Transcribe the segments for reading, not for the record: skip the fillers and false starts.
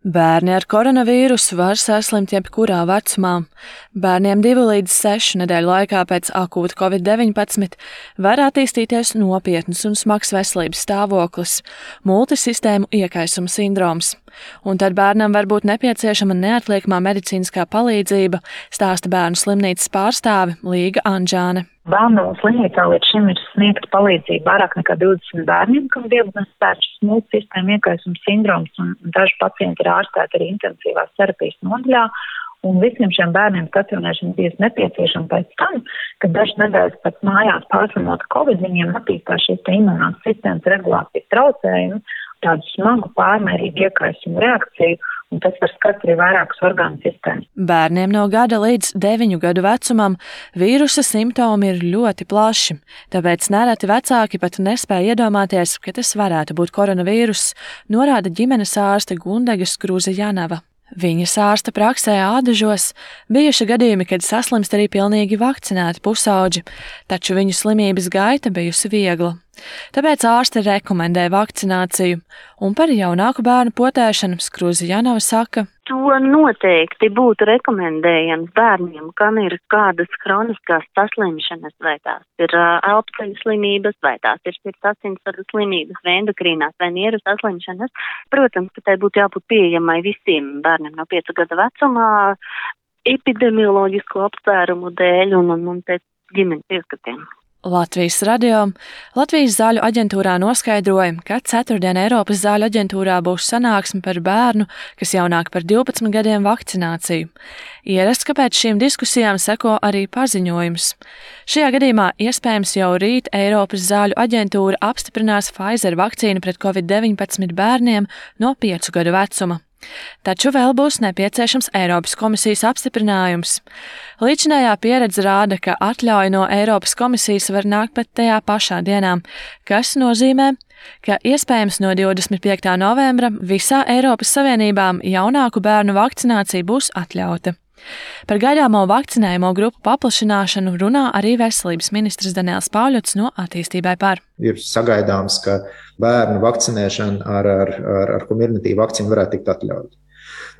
Bērni ar koronavīrusu var saslimt jebkurā vecumā. Bērniem 2 līdz 6 nedēļu laikā pēc akūta Covid-19 var attīstīties nopietns un smags veselības stāvoklis – multisistēmu iekaisuma sindroms. Un tad bērnam var būt nepieciešama neatliekamā medicīniskā palīdzība, stāsta Bērnu slimnīcas pārstāve Līga Anžāne. Bērnu slimnīcā līdz šim ir sniegta palīdzība vairāk nekā 20 bērniem, kam diagnosticēts šis multisistēmu iekaisuma sindroms, un daži pacienti ir ārstēti arī intensīvās terapijas nodaļā. Un visiem šiem bērniem stacionēšana bija nepieciešama pēc tam, kad dažas nedēļas pēc mājās pārslimot Covid, viņiem attīstās šīs imunās sistēmas regulācijas traucējumi, tādu smagu pārmērīgu iekaisumu reakciju, un tas var skart arī vairākas orgānu sistēmas. Bērniem no gada līdz 9 gadu vecumam vīrusa simptomi ir ļoti plaši, tāpēc nereti vecāki pat nespēja iedomāties, ka tas varētu būt koronavīruss, norāda ģimenes ārste Gundega Skruze-Janava. Viņas ārsta praksē Ādažos bijuši gadījumi, kad saslimst arī pilnīgi vakcinēti pusauģi, taču viņu slimības gaita bijusi viegla. Tāpēc ārste rekomendē vakcināciju, un par jaunāku bērnu potēšanu Skruze-Janava saka: To noteikti būtu rekomendējams bērniem, kam ir kādas kroniskās saslimšanas, vai tās ir elpceļu slimības, vai tās ir sirds asinsvadu slimības, vai endokrīnās, vai nieru saslimšanas. Protams, ka tai būtu jābūt pieejamai visiem bērniem no 5 gada vecumā, epidemioloģisku apsvērumu dēļ un pēc ģimenes ieskatiem. Latvijas radio Latvijas zāļu aģentūrā noskaidroja, ka ceturtdien Eiropas zāļu aģentūrā būs sanāksme par bērnu, kas jaunāk par 12 gadiem vakcināciju. Ierasts, ka pēc šīm diskusijām seko arī paziņojums. Šajā gadījumā iespējams jau rīt Eiropas zāļu aģentūra apstiprinās Pfizer vakcīnu pret Covid-19 bērniem no 5 gadu vecuma. Taču vēl būs nepieciešams Eiropas komisijas apstiprinājums. Līdzinājā pieredze rāda, ka atļauja no Eiropas komisijas var nākt pat tajā pašā dienā, kas nozīmē, ka iespējams no 25. novembra visā Eiropas Savienībā jaunāku bērnu vakcinācija būs atļauta. Par gaidāmo vakcinējumu grupu paplašināšanu runā arī veselības ministrs Daniels Pauļots no Attīstībai par. Ir sagaidāms, ka bērnu vakcinēšana ar Comirnaty vakcīnu varētu tikt atļauta.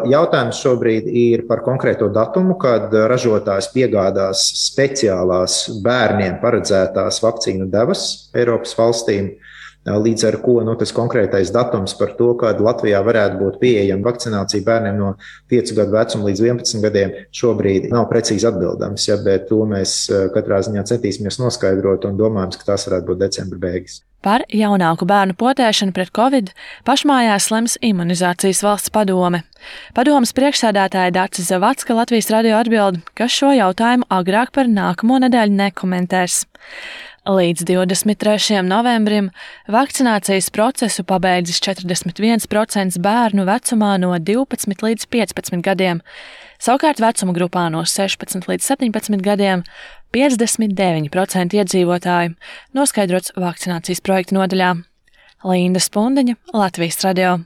Jautājums šobrīd ir par konkrēto datumu, kad ražotājs piegādās speciālās bērniem paredzētās vakcīnu devas Eiropas valstīm. Līdz ar ko tas konkrētais datums par to, kad Latvijā varētu būt pieejama vakcinācija bērniem no 5 gadu vecuma līdz 11 gadiem, šobrīd nav precīzi atbildams, bet to mēs katrā ziņā centīsimies noskaidrot un domājam, ka tas varētu būt decembra beigas. Par jaunāku bērnu potēšanu pret Covid pašmājās lems Imunizācijas valsts padome. Padomes priekšsēdētāja Dace Zavacka Latvijas radio atbild, ka šo jautājumu agrāk par nākamo nedēļu nekomentēs. Līdz 23. novembrim vakcinācijas procesu pabeidzis 41% bērnu vecumā no 12 līdz 15 gadiem, savukārt vecuma grupā no 16 līdz 17 gadiem 59% iedzīvotāju, noskaidrots vakcinācijas projekta nodaļā. Linda Spundiņa, Latvijas radio.